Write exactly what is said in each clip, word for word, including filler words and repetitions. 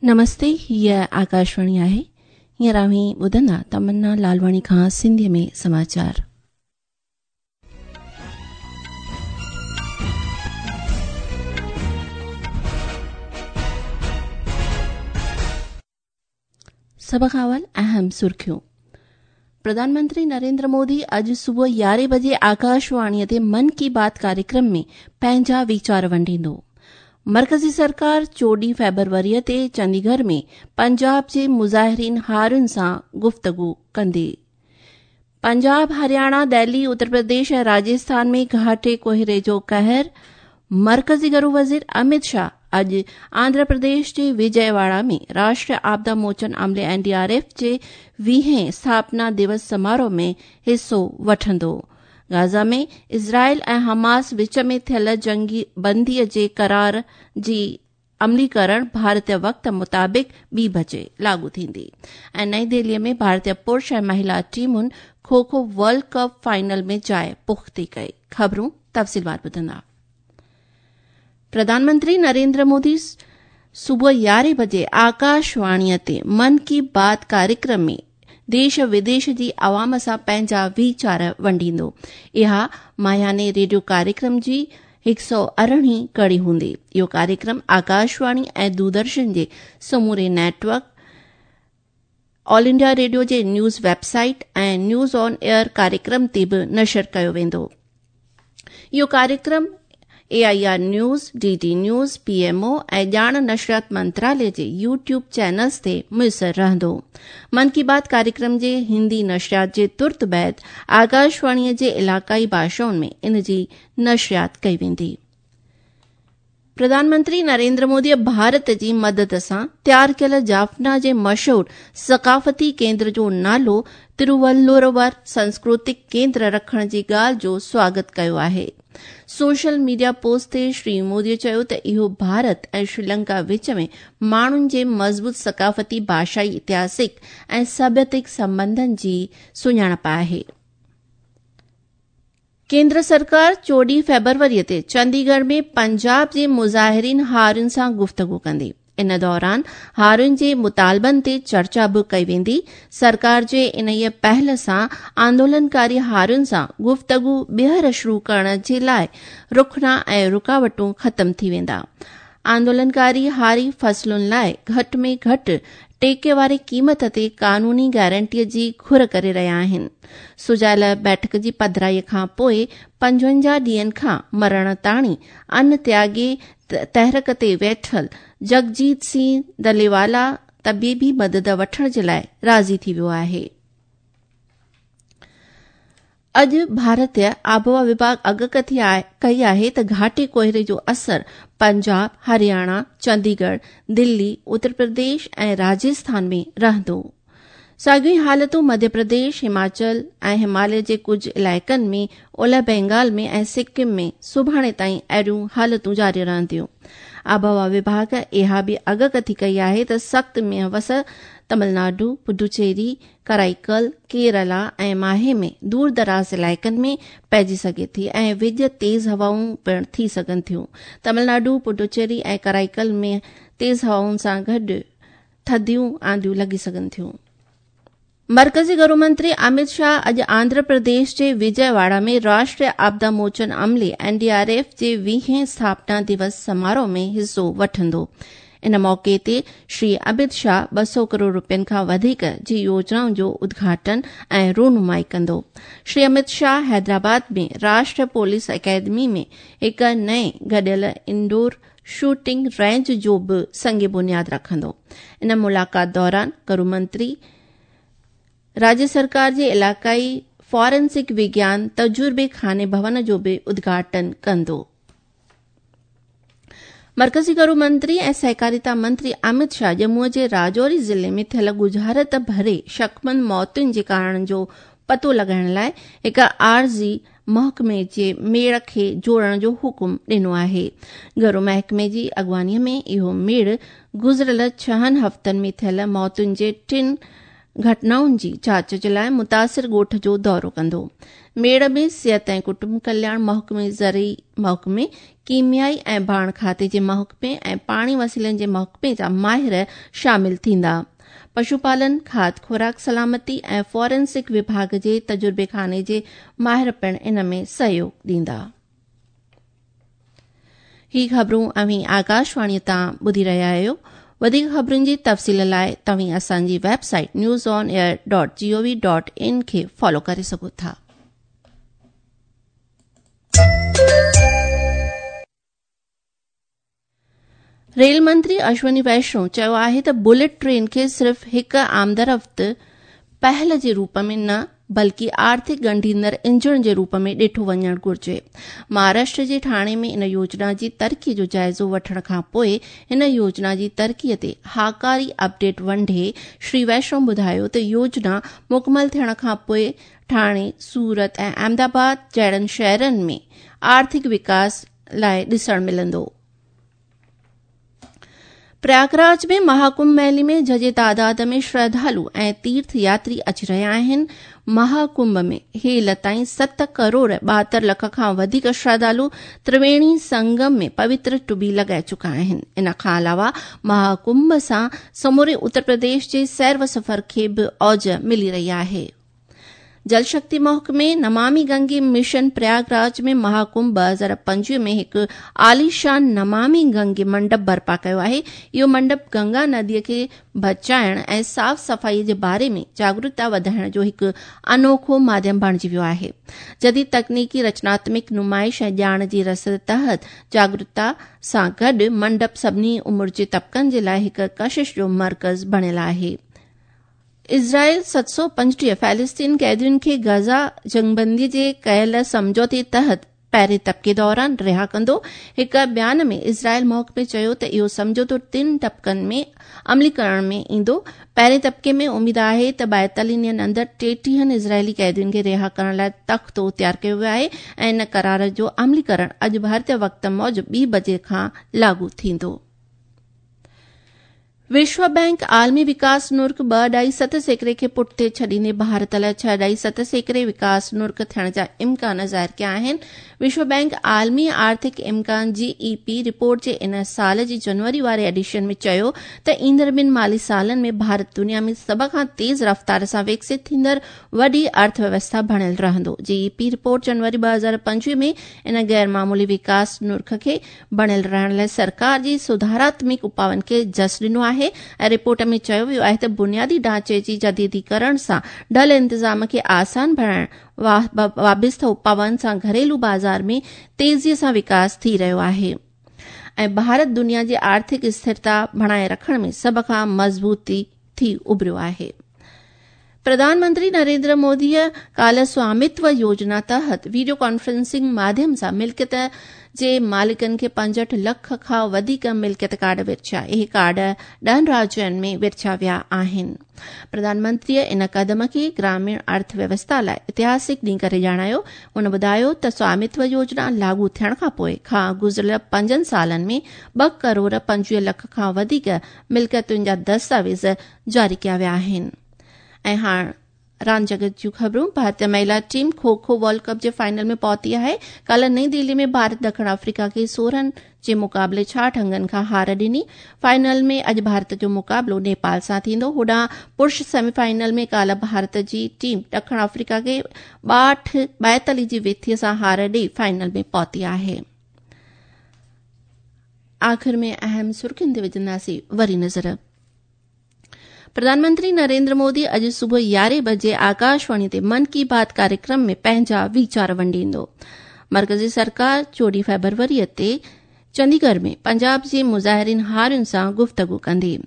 नमस्ते, हीअ आकाशवाणी आहे। हींअर अव्हीं ॿुधंदा तमन्ना लालवाणी खां सिंधीअ में समाचार। सभ खां अवल अहम सुर्खियूं। प्रधानमंत्री नरेंद्र मोदी अॼु सुबुह यारहें बजे आकाशवाणीअ ते मन की बात कार्यक्रम में पंहिंजा वीचार वंडींदो। मर्कज़ी सरकार चोॾहीं फेब्रुअरीअ ते चंडीगढ़ में पंजाब जे मुज़ाहिरीन हारियुनि सां गुफ़्तगू कंदी। पंजाब, हरियाणा, दिल्ली, उत्तर प्रदेश ऐं राजस्थान में घाटे कोहरे जो कहर। मर्कज़ी घरू वज़ीर अमित शाह अॼु आंध्र प्रदेश जे विजयवाड़ा में राष्ट्रीय आपदा मोचन अमले एन डी आर एफ जे वीहें स्थापना दिवस समारोह में हिसो वठंदो। गाज़ा में इज़राइल ऐं हमास विच में थियल जंगी बंदीअ जे करार जी अमलीकरण भारतीय वक़्त मुताबिक़ ॿी बजे लागू थींदी। ऐं नई दिल्लीअ में भारतीय पुरुष ऐं महिला टीमुनि खो खो वर्ल्ड कप फाइनल में जाइ पुख़्ती कई। ख़बरूं तफ़सीलवार ॿुधंदा। प्रधानमंत्री नरेंद्र मोदी सुबुह यारहें बजे आकाशवाणीअ ते मन की बात कार्यक्रम में देश विदेश जी आवाम सां पंहिंजा वीचार वंडींदो। इहा माहियाने रेडियो कार्यक्रम जी हिकु सौ अरिड़हीं कड़ी हूंदी। इहो कार्यक्रम आकाशवाणी ऐं दूरदर्शन जे समूरे नेटवर्क, ऑल इंडिया रेडियो जे न्यूज़ वेबसाइट ऐं न्यूज़ ऑन एयर कार्यक्रम ते बि नशर कयो वेंदो। इहो कार्यक्रम A I R news, D D news, P M O ऐं ॼाण नशरियात मंत्रालय जे यूट्यूब चैनल्स ते मुयसर रहंदो। मन की बात कार्यक्रम जे हिंदी नशरियात जे तुर्त बाद आकाशवाणीअ जे इलाक़ाई भाषाउनि में इन जी नशरियात कई वेंदी। प्रधानमंत्री नरेंद्र मोदीअ भारत जी मदद सां तयार कयल जाफना जे मशहूर सकाफ़ती केंद्र जो नालो तिरुवल्लुवर सांस्कृतिक केंद्र रखण जी ॻाल्हि जो स्वागत कयो आहे। सोशल मीडिया पोस्ट ते श्री मोदीअ चयो त इहो भारत ऐं श्रीलंका विच में माण्हुनि जे मज़बूत सकाफ़ती, भाषाई, ऐतिहासिक ऐं सभ्यतिक संबंधनि जी सुञाणप आहे। केंद्र सरकार चोॾहीं फेब्रुअरीअ ते चंडीगढ़ में पंजाब जे मुज़ाहिरीन हारियुनि सां गुफ़्तगू कंदी। इन दौरान हारियुनि जे मुतालबनि ते चर्चा बि कई वेंदी। सरकार जे इन्हीअ पहल सां आंदोलनकारी हारियुनि सां गुफ़्तगू ॿीहर शुरू करण जे लाइ रुखना ऐं रुकावटूं ख़तम थी वेंदा। आंदोलनकारी हारी फसलुनि लाइ घटि में घटि टेके वारी क़ीमत ते कानूनी गारंटीअ जी घुर करे रहिया आहिनि। सुजायल बैठक जी पधराईअ खां पोइ पंजवंजाह ॾींहनि खां मरण ताणी अन त्यागी तहरीक ते वेठल जगजीत सिंह दलेवाला तबीबी मदद वठण जे लाइ राज़ी थी वियो आहे। अॼु भारतीय आबहवा विभाग अॻकथी कई आहे त घाटे कोहरे जो असर पंजाब, हरियाणा, चंडीगढ़, दिल्ली, उत्तर प्रदेश ऐं राजस्थान में रहंदो। साॻियूं ई हालतूं मध्य प्रदेश, हिमाचल ऐं हिमालय जे कुझु इलाइक़नि में, ओलह बंगाल में ऐं सिक्किम में सुभाणे ताईं अहिड़ियूं हालतूं जारी रहंदियूं। आबहवा विभाग इहा बि अॻकथी कई आहे त सख़्त मींहुं वस तमिलनाडु, पुडुचेरी, कराईकल, केरला ऐं माहे में दूर दराज़ इलाइक़नि में पइजी सघे थी ऐं विज तेज़ हवाऊं पिणु थी सघनि थियूं। तमिलनाडु, पुडुचेरी ऐं कराईकल में तेज़ हवाउनि सां गॾु थधियूं आंधियूं लॻी सघनि थियूं। मर्कज़ी घरू मंत्री अमित शाह अॼु आंध्र प्रदेश जे विजयवाड़ा में राष्ट्रीय आपदा मोचन अमले एन डी आर एफ जे वीहें स्थापना दिवस समारोह में हिसो वठंदो। इन मौक़े ते श्री अमित शाह ॿ सौ करोड़ रुपयनि खां वधीक जी योजनाउनि जो उद्घाटन ऐं रूनुमाई कंदो। श्री अमित शाह हैदराबाद में राष्ट्रीय पुलिस अकेडमी में हिकु नए गॾियल इंडोर शूटिंग रेंज जो बि संग बुनियाद रखंदो। इन मुलाक़ात दौरान घरू मंत्री राज्य सरकार जे इलाक़ाई फॉरेंसिक विज्ञान तजुर्बे खाने भवन जो बि उद्घाटन कंदो। मर्कज़ी घरू मंत्री ऐं सहकारिता मंत्री अमित शाह जम्मूअ जे राजौरी ज़िले में थियल गुजारत भरे शकमंद मौतुनि जे कारणनि जो पतो लॻाइण लाइ हिकु आरज़ी महकमे जे मेड़ खे जोड़ण जो हुकुम ॾिनो आहे। घरू महकमे जी अॻुवानीअ में इहो मेड़ गुज़िरियल छहनि हफ़्तनि में थियल मौतुनि जे टिनि घटनाउनि जी जांच जे लाइ मुतासिर ॻोठ जो दौरो कंदो। मेड़ में सिहत ऐं कुटुंब कल्याण महकमे, ज़रई महकमे, कीमियाई ऐं भाण खाते जे महकमे ऐं पाणी वसीलनि जे महकमे जा माहिर शामिल थींदा। पशुपालन, खाद खुराक सलामती ऐं फॉरेंसिक विभाग जे तजुर्बे खाने जे माहिर पिण इन में सहयोग ॾींदा। ही ख़बरूं अव्हीं आकाशवाणी तां ॿुधी रहिया आहियो। वधीक ख़बरुनि जी तफ़सील लाइ तव्हीं असांजी website news on air dot G O V dot in खे फॉलो करे सघो था। रेल मंत्री अश्विनी वैष्णव चयो आहे त बुलेट ट्रेन खे सिर्फ़ हिकु आमदरफ़्त पहल जे रूप में न बल्कि आर्थिक ॻंढींदड़ इंजण जे रूप में ॾिठो वञणु घुर्जे। महाराष्ट्र जे ठाणे में इन योजना जी तरक़ी जो जाइज़ो वठण खां पोइ हिन योजना जी तरक़ीअ ते हाकारी अपडेट वंडे श्री वैष्णव ॿुधायो त योजना मुकमल थियण खां पोइ ठाणे, सूरत ऐं अहमदाबाद जहिड़नि शहरनि में आर्थिक विकास लाइ ॾिसण मिलंदो। प्रयागराज में महाकुंभ मेले में झजे तादाद में श्रद्धालु ऐं तीर्थ यात्री अची रहिया आहिनि। महाकुंभ में हेल ताईं सत करोड़ ॿाहतरि लख खां वधीक श्रद्धालु त्रिवेणी संगम में पवित्र टुबी लॻाए चुका आहिनि। इन खां अलावा महाकुंभ सां समूरे उत्तर प्रदेश जे सैर व सफ़र खे बि औज मिली रही आहे। जल शक्ति महकमे नमामि गंगे मिशन प्रयागराज में महाकुंभ ॿ हज़ार पंजवीह में हिकु आलीशान नमामि गंगे मंडप बर्पा कयो आहे। इहो मंडप गंगा नदीअ खे बचाइण ऐं साफ़ सफ़ाईअ जे बारे में जागरूकता वधाइण जो हिकु अनोखो माध्यम बणिजी वियो आहे। जदीद तकनीकी, रचनात्मिक नुमाइश ऐं ॼाण जी रसद तहत जागरूकता सां गॾु मंडप सभिनी उमिरि जे तबकनि जे लाइ हिकु कशिश जो मर्कज़ बणियल आहे। इज़राइल सत सौ पंजटीह फ़िलिस्तीन क़ैदियुनि खे गज़ा जंगबंदी जे कयल सम्झौते तहत पहिरें तबके दौरान रिहा कंदो। हिकु बयान में इज़राइल महकमे चयो त इहो सम्झौतो टिनि तबकनि में अमलीकरण में ईंदो। पहिरें तबके में उमेद आहे त ॿाएतालीह ॾींहंनि अंदरि टेटीहनि इज़राइली क़ैदियुनि खे रिहा करण लाइ तख़्तो तयारु कयो वियो आहे ऐं इन करार जो अमलीकरण अॼु भारतीय वक़्त मूजिबि ॿी बजे खां लागू थींदो। विश्व बैंक आलमी विकास नुर्ख ॿ अढाई सत सैकड़े खे पुठिते छॾींदे भारत लाइ छह अढाई सत सैकड़े विकास नुर्ख थियण जा इम्कान ज़ाहिर कया आहिनि। विश्व बैंक आलमी आर्थिक इम्कान जी ई पी रिपोर्ट जे इन साल जी जनवरी वारे एडिशन में चयो त ईंदड़ ॿिनि माली सालनि में भारत दुनिया में सभ खां तेज़ रफ़्तार सां विकसित थींदड़ वॾी अर्थव्यवस्था बणियल रहंदो। जी ई पी रिपोर्ट जनवरी ॿ हज़ार पंजवीह में इन गैर मामूली विकास नुर्ख खे बणियल रहण लाइ सरकार जी सुधारात्मिक उपाउनि खे जस ॾिनो आहे ऐं रिपोर्ट में चयो वियो आहे त बुनियादी ढांचे जी जदीदीकरण सां ढल इंतज़ाम खे आसान बणाइण वाबिस्ता उपाउनि सां घरेलू बाज़ार में तेज़ीअ सां विकास थी रहियो आहे ऐं भारत दुनिया जी आर्थिक स्थिरता बणाए रखण में सभ खां मज़बूती थी उभरियो आहे। प्रधानमंत्री नरेंद्र मोदीअ काल्ह स्वामित्व योजना तहत वीडियो कॉन्फ्रेंसिंग माध्यम सां मिल्कियत जे मालिकनि खे पंजहठि लख खां वधीक मिल्कियत कार्ड विरछिया। इहे कार्ड ॾहनि राज्यनि में विरछिया विया आहिनि। प्रधानमंत्रीअ इन कदम खे ग्रामीण अर्थव्यवस्था लाइ ऐतिहासिक ॾींहुं करे ॼाणायो। हुन ॿुधायो त स्वामित्व योजना लागू थियण खां पोइ खां गुज़िरियल पंजनि सालनि में ॿ करोड़ पंजवीह लख खां वधीक मिल्कियतुनि जा दस्तावेज़ जारी कया विया आहिनि। ऐं हाणे रांदि जगत जूं ख़बरूं। भारतीय महिला टीम खो खो वर्ल्ड कप जे फाइनल में पहुती आहे। काल्ह नई दिल्ली में भारत दक्षिण अफ्रीका खे सोरहं जे मुक़ाबले छाहठि अंगनि खां हार ॾिनी। फाइनल में अॼु भारत जो मुक़ाबिलो नेपाल सां थींदो। होॾां पुरुष सेमीफाइनल में काल्ह भारत जी टीम दक्षिण अफ्रीका खे ॿाहठि ॿाएतालीह जी विथीअ सां हार ॾेई फाइनल में पहुती आहे। आख़िर में अहम सुर्खियुनि ते विझंदासीं वरी नज़र। प्रधानमंत्री नरेंद्र मोदी अॼु सुबुह यारहें बजे आकाशवाणी ते मन की बात कार्यक्रम में पंहिंजा वीचार वंडींदो। मर्कज़ी सरकार चोॾहीं फ़रवरीअ ते चंडीगढ़ में पंजाब जे मुज़ाहिरीन हारियुनि सां गुफ़्तगू कंदी।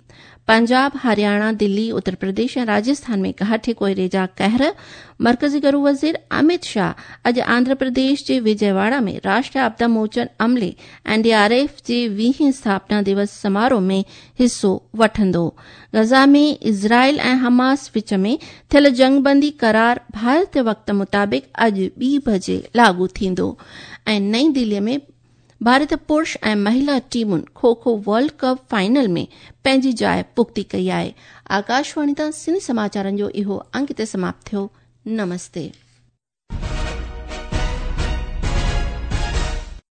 पंजाब, हरियाणा, दिल्ली, उत्तर प्रदेश ऐं राजस्थान में घाटे कोहरे जा कहर। मर्कज़ी गृह वज़ीर अमित शाह अॼु आंध्र प्रदेश जे विजयवाड़ा में राष्ट्रीय आपदा मोचन अमले एन डी आर एफ जे वीहें स्थापना दिवस समारोह में हिसो वठंदो। गज़ा में इज़राइल ऐं हमास विच में थियल जंगबंदी करार भारतीय वक़्त मुताबिक़ अॼु ॿी बजे लागू थींदो। ऐं नई दिल्लीअ में ڀارتي پرش ۽ مهلا ٽيمن kho kho world cup final ۾ پنهنجي جاءِ پختي ڪئي آهي. آڪاشواڻي تان سنڌي سماچارن جو اهو انگ هتي سماپت ٿيو. نمستي.